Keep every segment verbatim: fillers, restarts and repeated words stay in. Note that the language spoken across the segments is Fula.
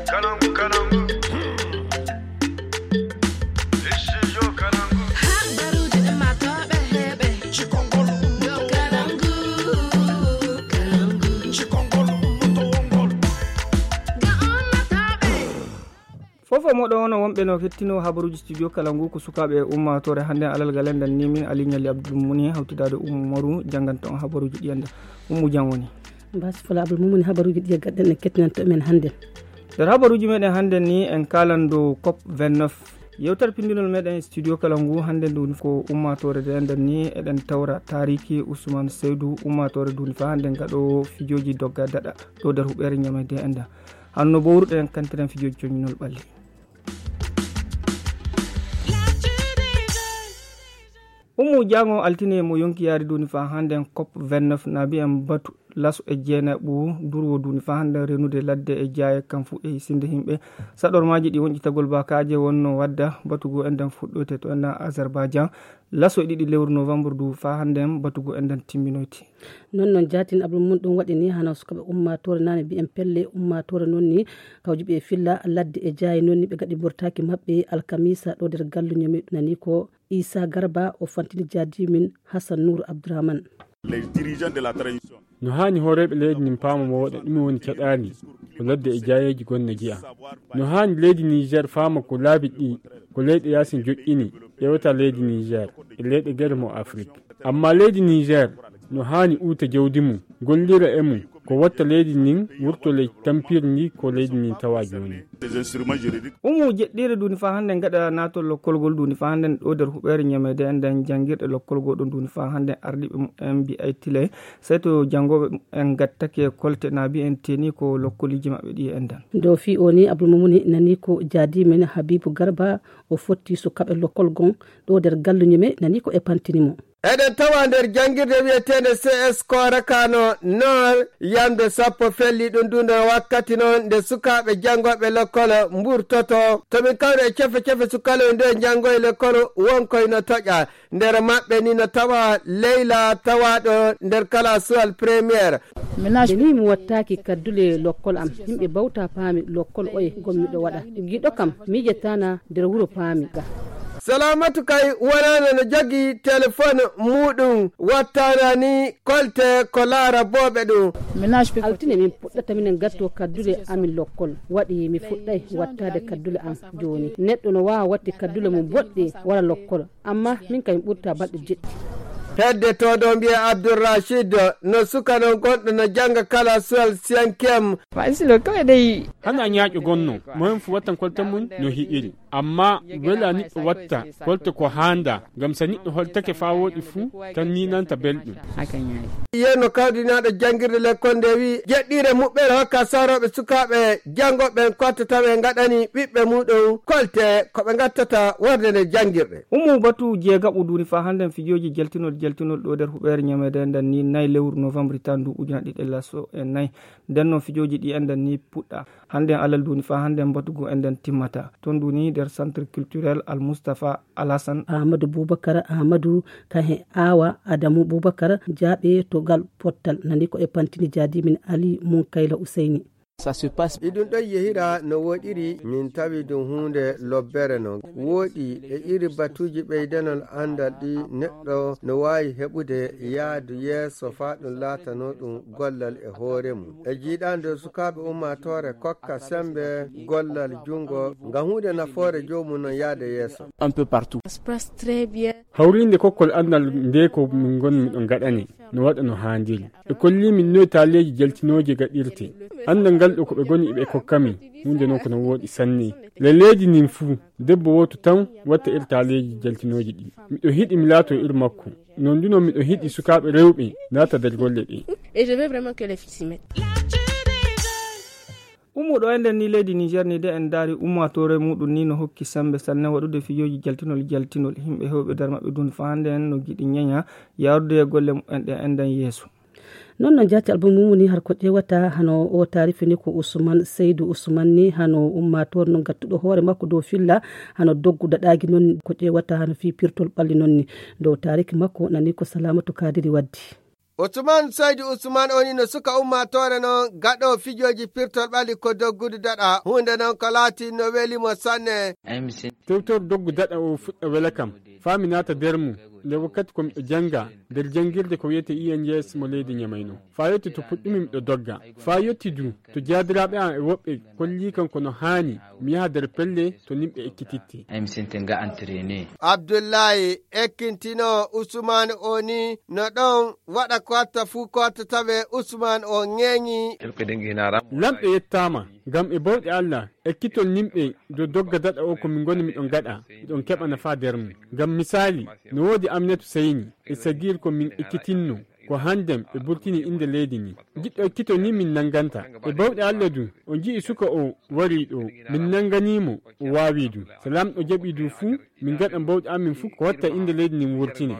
Kalangu, kalangu. Studio Kalangu. Habaruji ɗin ma toɓe heɓe. Cikongol ummoto. Kalangu, kalangu. Cikongol ummoto wongol. Ga ummotoɓe. Fofo moɗo ono wonɓe no hettino habaruji studio kalangu ko sukaɓe e ummatore hannde alal galen dan nimin ali ñali abdul muni hawtidade ummaru janganta on habaruji ɗi anda. Ummu jam woni. Mbasi fula abdul mumuni habaruji ɗi e gadden en kettinanto men hannde. Nder habaruji meɗen hannde ni en kalan dow cop vingt-neuf. Yewtere pindinol meɗen e studio kala ngu hannde ndu ko ummatore de nden ni eɗen tawra tariki usman seydu ummatore ndu ni fa hannde ngaɗo fijoji dogga daɗa ɗo nder huɓere ñamede enda. Hanno bowruɗen kantiren fijoji coñinol ɓalli. Ummu jango altine mo yonki yaari duni fa hannde cop vingt-neuf nabi en batu laso e jeenaɓu durwo duni fa hannde renude ladde e jaaye kam fu e sinde himɓe. Saɗormaji ɗi wonƴitagol bakaje wonno wadda batugo enden fuɗɗoyte to enden azerbaidjan. Laso e ɗiɗi lewru novembre du fa hannde batugo enden timminoyti. Non non jatin abdul mun ɗum waɗi ni hano sukaɓe ummatore nane mbiyen pelle ummatore non ni kawjuɓe e filla ladde e jaaye non ni ɓe gaɗi bortaki maɓɓe alkamisa ɗo nder galluñomi nani ko isa garba o fantini jaadimin hassan nour abdourahmane. Les dirigeants de la transition. No haani hooreeɓe leydi ndin paama mo waɗa ɗume woni caɗaali ko ladde e jaayeeji gonne jeya. No haani leydi niger faama ko laabi ɗi ko leyɗe yaasin joƴƴini ƴewata leydi niger e leyɗe gere mo afrik. Amma leydi niger no haani uuta jawdi mum gollira e mum ko watta leydi ndin wurto ley tampirndi ko leydi ndin tawa jooni. Umu jeɗɗire duni fa hannde gaɗa natol lokkolgol duni fa hannde ɗo nder huɓere ñamede enden janngirɗe lokkolgol ɗum duni fa hannde ardiɓe mumen mbi ay tile. Sey to janngoɓe mumen gattake kolte na mbi en teni ko lokkoliji maɓɓe ɗi enden. Dow fi o ni abdulmumuni nani ko jaadimen habibu garba o fotti sukaɓe lokkolgon ɗo nder galluñume nani ko e pantini mo. Eɗen tawa nder janngirde wiyeteende C S Korakano Nord, yamde sappo felli ɗum dunde wakkati noon nde sukaaɓe janngooɓe lekkol mburtoto. To min kawri e cefe cefe sukaloy nde njanngoy lekkol wonkoy no toƴa. Nder maɓɓe ni no tawa Leyla tawaaɗo nder kalasuwal première. Ni mi wattaaki kaddule lokkol am. Yimɓe bawta paami lokkol oye gom miɗo waɗa. Giɗo kam miijatana nder wuro paami ga. Salamatu kay wonano no jogi telefon muɗum wattana ni kolte ko laara booɓe ɗum. Altine min puɗɗata minen gatto kaddule amin lokkol. Waɗi mi fuɗɗay wattade kaddule am jooni. Neɗɗo no waawa watti kaddule mum boɗɗe wara lokkol. Amma min kay mi ɓurta balɗe jeɗɗi. Hedde to ɗo mbiye abdourachid no suka non gonɗo no jannga kala suwal cinquième. Hana ñaaƴo gonno mo hen fu wattan kolte mum no hiɗiri. Amma wela niɗɗo watta kolte ko handa ngam sa niɗɗo holtake fa woɗi fu tan ninanta belɗum. Yen no kawdinaɗo janngirde lekkol nde wi jeɗɗire muɓɓere hokka saroɓe sukaaɓe janngoɓe kotte tawe gaɗani ɓiɓɓe muɗum kolte ko ɓe gattata warde nde janngirɗe. Umu batu jeegaɓo duuni fa hannden fijooji jaltinol jaltinol ɗo nder huɓeere ñameede nden ni nayi lewru novembre tan ndu ujuna ɗiɗi e laso e nayi. Nden noon fijooji ɗi enɗen ni puɗɗa hannden alal duuni fa hannden mbatu ngu enɗen timmata toon duuni nder centre culturel al moustapha alhassane. Amadou boubacar amadou kan he awa adamu boubacar jaaɓe to ngal pottal nani ko e pantini jaadimin ali munkayla ouseyni. Iɗum ɗon yehira no woɗiri min tawi ɗum huunde lobbere non woɗi e iri batuuji ɓeydanol anndal ɗi neɗɗo no waawi heɓude yaadu yeeso faa ɗum laatano ɗum gollal e hoore mum e jiiɗaande sukaaɓe ummaatoore kokka semmbe gollal junngo ngam huunde nafoore joomum non yahde yeeso. Hawriinde kokkol anndal nde ko min ngonmi ɗo ngaɗane no waɗa no haandiri. Ɓe kolli min noy taaleeji jaltinooji gaɗirte. Anndal ngal ɗo ko ɓe ngoni ɓe kokka min huunde noon ko no wooɗi sanne. Le leydi ndin fuu debbo wooto tan watta ir taaleeji jaltinooji ɗi. Miɗo hiɗi mi laato ir makko. Noon du noon miɗo hiɗi sukaaɓe rewɓe naata nder golle ɗe. Ummuɗo e nder ni leydi niger ni de en daari ummatore muɗum ni no hokki sembe sanne waɗude fijooji jaltinol jaltinol yimɓe hewɓe nder maɓɓe dun fa hannde en no giɗi ñaña yaarude e golle mumen ɗe enɗen yeeso. Noon no jaati album mum woni har ko ƴeewata hano o taarifi ni ko ousmane seydou ousmane ni hano ummatore no gattuɗo hoore makko dow filla hano doggu daɗaagi noon ko ƴeewata hano fii pirtol ɓalli noon ni dow taariki makko nani ko salamatu kadiri waddi. Ousmane Saidu Ousmane o ni no suka ummaatoore noon gaɗo fijooji pirtol ɓalli ko doggudu daɗa. Huunde noon ko laati no weli mo sanne. Tewtor doggu daɗa o fuɗɗa wela kam. Faa mi naata nder mum, nde wakkati ko miɗo jannga nder janngirde ko wiyetee I N G S mo leydi Ñamay noon. Faa yotti to puɗɗumi miɗo dogga. Faa yotti du to jaadiraaɓe am e woɓɓe kollii kam ko no haani mi yaha nder pelle to nimɓe ekkititte. Ay mi sente nga entraîné. Abdullahi ekkintinoo Usmaan o ni no ɗon waɗa ko watta fuu ko watta tawe Usmaan o ŋeeŋi. Lamɗo yettaama, ngam e bawɗe Allah, ekkitol nimɓe dow dogga daɗa o ko min ngoni miɗon gaɗa, miɗon keɓa nafa nder mum. Ngam misaali, no woodi Aminatu Sayni e Sagir ko min ekkitinno, ko hannden ɓe burtini innde leydi ni. Jiɗɗo ekkito ni min nannganta. E bawɗe Allah du, o ji'i suka o warii ɗo, min nannganii mo, o waawii du. So Lamɗo jaɓii du fuu, min ngaɗan bawɗe amin fuu ko watta innde leydi nin wurtine.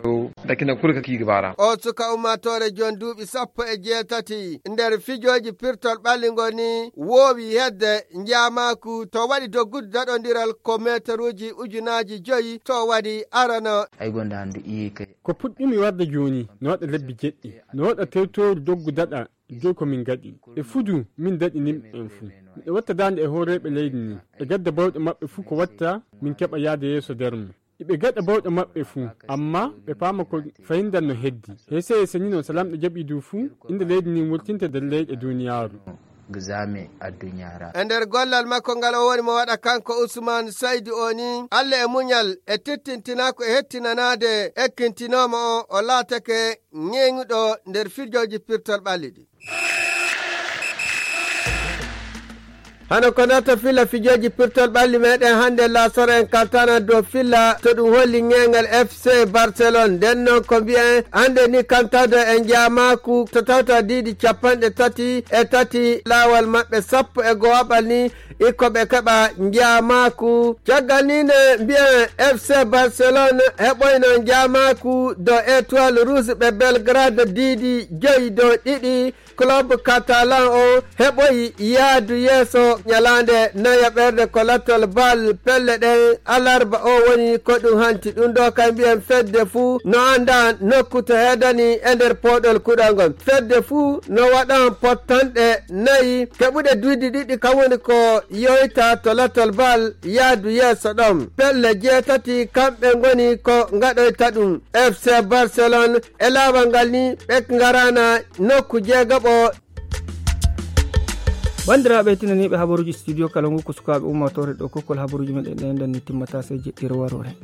Dakina kul ka kiigi bara. O suka ummaatoore jon duuɓi sappo e jeetati nder fijooji pirtol ɓalli ngoni woowi hedde njaamaaku to waɗi doggudu daɗondiral ko meetaruuji ujunaaji joyi to waɗi arano. Ay gonda handu iye kay. Ko puɗɗumi warde jooni no waɗa lebbi jeɗɗi, no waɗa tewtooru doggu daɗa joy ko min ngaɗi. E fudu min daɗi nimɓe ɓen fuu. Miɗo watta daande e hooreeɓe leydi ni. E gadda bawɗe maɓɓe fuu ko watta min keɓa yaade yeeso nder mum. Iɓe gaɗa bawɗe maɓɓe fuu, amma ɓe paama ko fayndan no heddi. Hese hese ni non so Lamɗo jaɓi du fuu, innde leydi ndin wurtinte nder leyɗe duniyaaru. Gizame addunyara. E nder gollal makko ngal o woni mo waɗa kanko Usman Saydi o ni, Allah e muñal e tittintinaa ko e hettinanaade ekkintinoomo o, o laatake ŋeeŋuɗo nder fijooji pirtol ɓalli ɗi. Hano ko nata filla fijooji pirtol ɓalli meɗen hannde laasoro en kaltana dow filla to ɗum holli ŋeeŋal F C Barcelone. Nden noon ko mbiyen hannde ni kantado e njaamaaku to tawta diidi capanɗe tati e tati laawal maɓɓe sappo e go'aɓal ni iko ɓe keɓa njaamaaku. Caggal ni ne mbiyen F C Barcelone heɓoyno njaamaaku dow Étoile Rouge ɓe Belgrade diidi joyi dow ɗiɗi. Club Catalan o heɓoyi yaadu yeeso ñalaande nayaɓerde ko lattol bal pelle ɗen alarba o woni ko ɗum hanti. Ɗum ɗo kay mbiyen fedde fuu no annda nokku to heedani e nder pooɗol kuɗol ngol. Fedde fuu no waɗan pottanɗe nayi keɓuɗe duuɗi ɗiɗi kam woni ko yoyta to lattol bal yaadu yeeso ɗon. Pelle jeetati kamɓe ngoni ko ngaɗoyta ɗum. F C Barcelone e laawol ngal ni ɓe ngarana nokku jeegaɓo. Banndiraaɓe tinaniiɓe habaruuji studio kala ngu ko sukaaɓe ummaatoore ɗo kokkol habaruuji meɗen ɗen ɗon ni timmata sey jeɗɗiro waroore.